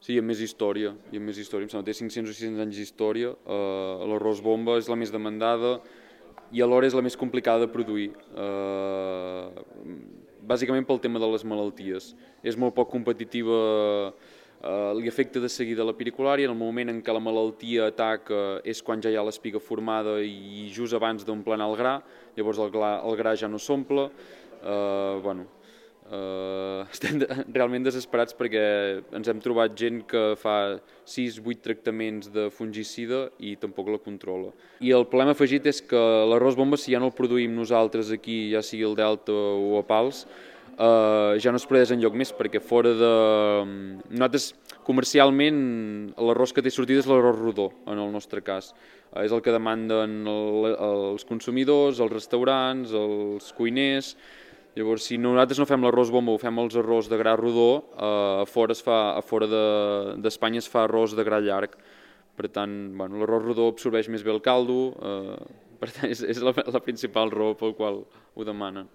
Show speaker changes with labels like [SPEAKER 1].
[SPEAKER 1] Sí, amb més història, em sembla que té 500 o 600 anys d'història. L'arròs bomba és la més demandada i alhora és la més complicada de produir, bàsicament pel tema de les malalties. És molt poc competitiva, li afecta de seguida la piriculària, en el moment en què la malaltia ataca és quan ja hi ha l'espiga formada i just abans d'emplenar el gra, llavors el gra ja no s'omple. Estem realment desesperats perquè ens hem trobat gent que fa 6-8 tractaments de fungicida i tampoc la controla. I el problema afegit és que l'arròs bomba, si ja no el produïm nosaltres aquí, ja sigui al Delta o a Pals, ja no es produeix enlloc més, perquè fora de... Nosaltres, comercialment, l'arròs que té sortida és l'arròs rodó, en el nostre cas. És el que demanden els consumidors, els restaurants, els cuiners. Llavors, si nosaltres no fem l'arròs bomba o fem els arròs de gra rodó, a fora d'Espanya es fa arròs de gra llarg. Per tant, l'arròs rodó absorbeix més bé el caldo, per tant, és la principal raó pel qual ho demanen.